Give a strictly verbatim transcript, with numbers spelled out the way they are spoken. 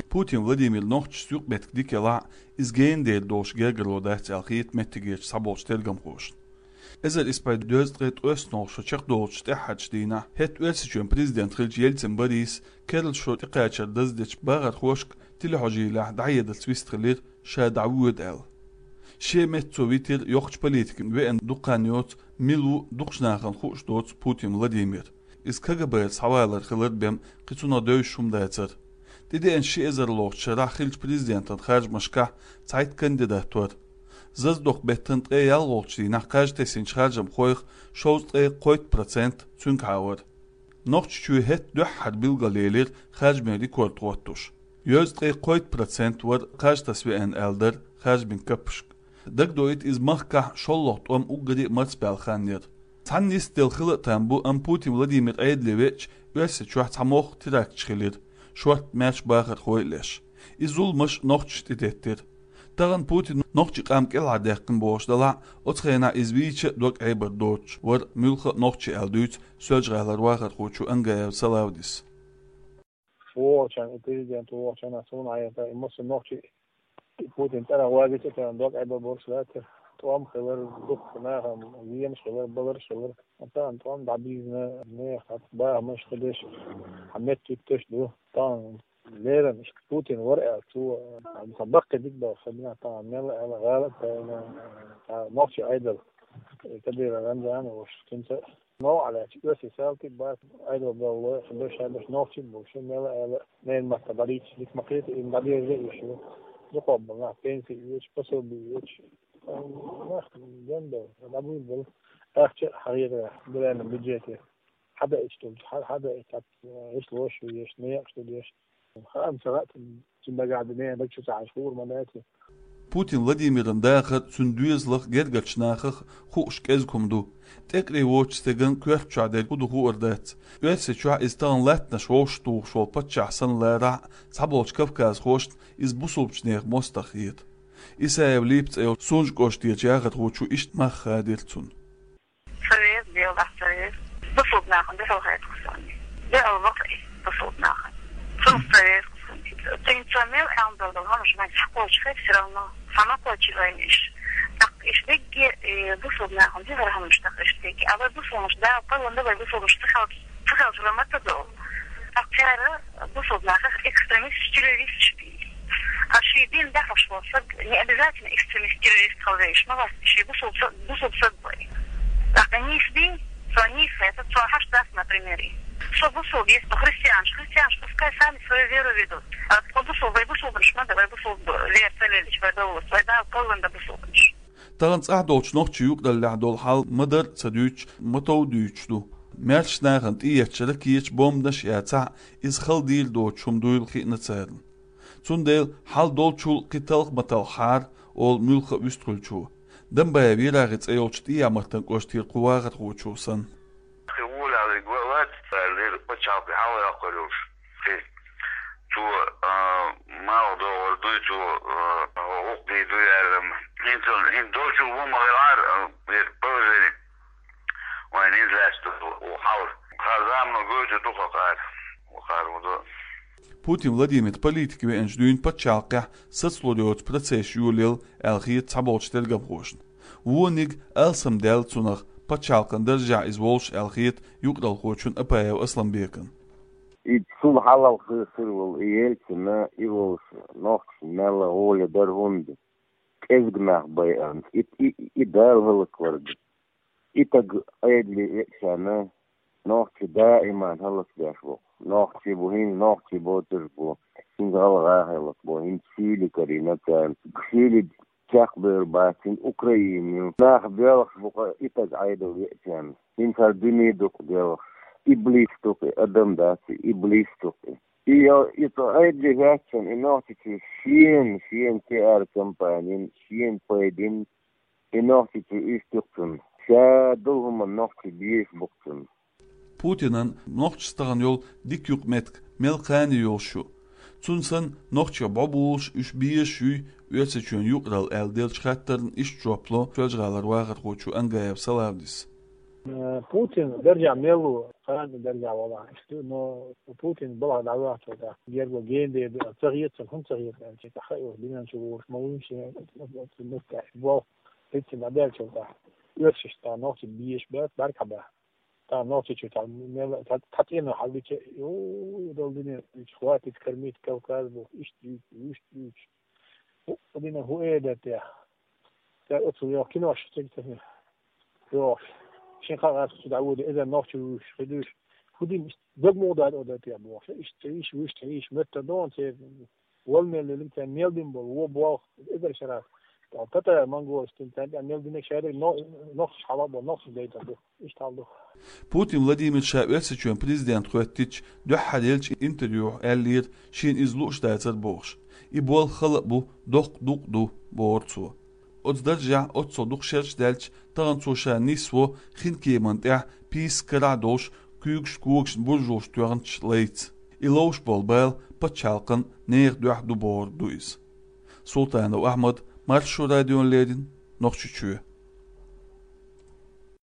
Путин Владимир нохчашца юкъаметтиг дика елахь а, иза гена дер долуш гергаро дац аьлла хета меттигерчу цхьаболчу тергамхошна. Эзар исс бӀе дезткъе ткъоьсналгӀа шо чекхдолучу тӀаьххьарчу дийнахь хӀетта Оьрсийчоьнан президент хиллачу Ельцин Бориса керла шо тӀекхачар даздечу бахархошка телехьожийлехь дӀахьедарца вистхилира, ша дӀавоьду аьлла. Шен метта цо витира йоккхачу политикан, веана дукха хан йоцу, мила ву дукхачу нахана хууш доцу Путин Владимир. Иза КГБ-ра схьавалар хилар бен кхин цунах девзаш хӀума дацара. ТӀедеана ши эзарлагӀчу шарахь хиллачу президентан харжамашкахь цхьайтта кандидат вара. Зазадоккху беттан ткъе ялхалгӀачу дийнахь кхаж тесначу харжамхойх шовзткъе кхойтта процент цуьнгахьа вара. Нохчийчоь хӀетта дуьххьара билгалъелира харжамийн рекорд хӀоттош. Йозткъе кхойтта процент вара кхаж таса веана аьлла дара харжамийн каппашка. Дагадоуьйту, иза махкахь шолгӀа тӀом уггаре а марсабаьлла хан яра. Цхьана йистехь хила а там бу, амма Путин Владимир Ӏедале веача, Оьрсийчохь цхьа могӀа теракташ хилира, шортта маьрша бахархой а леш. И зуламаш нохчашна тӀедеттира. Тахана Путина нохчийн къам кӀелхьардаьккхина бохуш делахь а, оцу хенахь иза вийча а дог Ӏебар доцуш вара муьлхха а нохчи аьлла дуьйцу Соьлжа-ГӀалара вахархочо Ангаев Салавдис. ВогӀучарна, и президент вогӀучарна суна хьаьрта, и массо а нохчи Путин цӀарах вагийча а, царна дог Ӏебар болуш лаьттара. ТӀом хилар, дуккха нахана венаш хилар, баларш хилар. Тахана тӀом дӀабийзина, нехан бахамаш хилиш, хьан меттиг теш ду. Тахана леррина иштта Путин вара аьлла, цо, сан баккхий дика баха, сан бина тахана мелла аьлла, гӀалат а тайна, нохчи Ӏедал, Кадыров Рамзан а вуш, цуьнца новкъа лаьтташ, оьрсий салтий бац, Ӏедал баллой, сан беш, сан беш нохчий бу, шу мелла аьлла, нейн матта дӀадийцаш, дика ма кхета, им дӀадерза а йиш ю. Дукхах болу нах пенсий оьцуш, пособи оьцуш, нах генбелла, дӀабуьйлабелла, ахча а хьахетарехь, дуьненан бюджете. Хьадаийтуш долчу, хьа-, хьадаийту, гӀишлош ю еш, некъаш ду деш. Хаам ца хаьа, цуьнан дагахь дан, даг чу ца хьажа хуур ма дац. Путин Владимиран дахар цуьнан доьзалах, гергарчу нахах хууш кӀезиг хӀума ду. ТӀекъаре воцучу стеган коьрта чохь дерг хӀун ду хуур дац. Оьрсийчохь иза тахана латтанаш вовшахтухуш волу паччахь санна ларахь а, цхьаболчу кавказхошна иза бусулбачу нехан мостагӀа хета. Исаев Липа цӀе йолчу Сунжа кӀоштарчу яхархочо иштта мах хадийра цунна. Ца веза, Дела дахь ца веза. Бусулба нахана дуьхьал хета кху санна. Дуьхьал ваха и бусулба нахана. Цунах ца веза кху санна. Цуьнца мел аьлла долу хӀумаш вайн схьакхочуш хета, всё равно схьа ма кхочу вайна иш. ТӀаккха иш дигге, и бусулба нахана дуьхьал хӀумаш тӀаккха иш дигге. А вай бусулбанаш Дала кхоьллина ду, вай бусулбанаш ца хилча, ца хилча вай ма ца долу. ТӀаккха цара бусулба нахах экстремисташ, террористаш бийр. А шен дин дахьаш волу стаг не обязательно экстремист, террорист хила везаш ма вац, шен бусулба са-, бусулба стаг вай. ТӀаккха нийса дин, цо нийса хетар, цо хьаш дац, например, и. Со бусулба, если христианаш, христианаш пускай сами свою веру ведут. А тхо бусулба, вай бусулбанаш ма ду, вай бусулба вера ца лелийча, вай довлалц, вай Дала кхоьллина ду бусулбанаш. Тахана цӀахь долчу нохчийн юкъараллехь долу хьал ма-дарра а ца дуьйцуш, ма-тов а дуьйцуш ду. Маьршачу нахана тӀеэцча ракеташ, бомбанаш а яцахь, иза хала дийр доцуш хӀума дуйла хиъна царна. Цундела хьал долчул кхин талха ма талхахьара, олу муьлхха а вуьстхуьлучо. Дамбаев ЯрагӀи цӀе йолчу ТӀехьа-Мартан кӀоштера кху вахархочо санна. Кхин волавелла вац, аьллера, пачхьалкхе хьалха йоккхур йолуш. Кхин цо, а, малх догӀур дуй, цо, а, гӀуллакх дийр дуй аьлла. ХӀинца, хӀинца долчул вон ма хилахьара, а, вера положение. Вайн хӀинца лаьцна ву хьал. Кхара замано гойтур ду-кх кхара. Ву кхара ву ду. Путин Владимир политика веанчу дуьйна пачхьалкхехь сацалур йоцу процесс йолаелла аьлла хета цхьаболчу тергамхошна. Вониг алсамдаьлла цунах, пачхьалкхан даржехь иза волуш аьлла хета юкъаралхочун Апаев Асламбекан. И цул хьалха хир волу и Ельцина, и волуш нохчашна мелла гӀоле дара хӀунда. КӀезиг нах байанца. И, и, и Дала хӀаллаквар ду. И таг Ӏедале веачарна, нохчий даиман хӀаллакдеш ву. Нохчий бу хӀинца, нохчий боцурш бу. ХӀинца гӀалгӀа хилла бу, хӀинца шийли карийна царна. Шийли чекхбевр бац хӀинца Украина ю. Нах белхаш бу-кх и таг Ӏедал веачарна. ХӀинца хӀара дуьне ду-кх белхаш. Иблис ду-кх и, адам дац и, иблис ду-кх и. И, и цу Ӏедале хӀоьттина, и Нохчийчу шена, шена пиар-компанин, шена пайдин, и Нохчийчу иштта ю-кх цунна. Ша долу хӀуманна нохчий безаш бу-кх цунна. Путинан нохчашца тахана йолу дика юкъаметтиг мел кхане йолуш ю? Цунна санна, нохчех бӀобулуш, уьш безаш юй Оьрсийчоьнан юкъаралла аьлла деллачу хаттарна иштта жоп ло Соьлжа-ГӀалара вахархочо Ангаев Салавдис. Путин даржа мел ву, кхана даржа вала. Но Путин балагӀа дӀавахча тӀа, герго генде ца хетар, хӀун ца хетар, чи тӀа хайо, динан чу вуш, ма вуйши, муста, бо, хитти дӀадаьлча тӀа. Оьрсаш тӀа нохчи беш бац, баркабац. Та нохчи чу тӀа мел, та, та тӀена хьалдича, ю, дол дина, хватит кормить Кавказ бу, ишт ю, ишт ю. Ху, дина ху э да те. Та оцу йо кинош чек те. Йо, шин хагас чу да вуди, эза нохчи вуш, хидуш. Худим дог мугдар ода те бу. Ишт иш, вуш иш, мэтта дон се. Вол мел лилим те мел дим бол, во бо, эза шарас. Та, та, та, монголстин, та, та, мел динек шари, но, нохчи хала бо, нохчи дейта бу. Ишт хал ду. Путин Владимир ша Оьрсийчоьн президент хӀоьттича дуьххьара елча интервьюхь аьллера, шена иза лууш дацар бохуш. И болх хала а бу, доккха дукъ а ду, бохура цо. Оцу даржехь оццул дукха шераш даьлча, тахана цо ша нисво хинкеман тӀехь пийсаш карахь долуш, куьйгаш когашна буржалш тоьхначу лайца. И ловш болу бала пачхьалкхан нехан дуьхьа ду бохург ду иза. Султанов Ахьмад, Маршо радиона леррина, Нохчийчоь.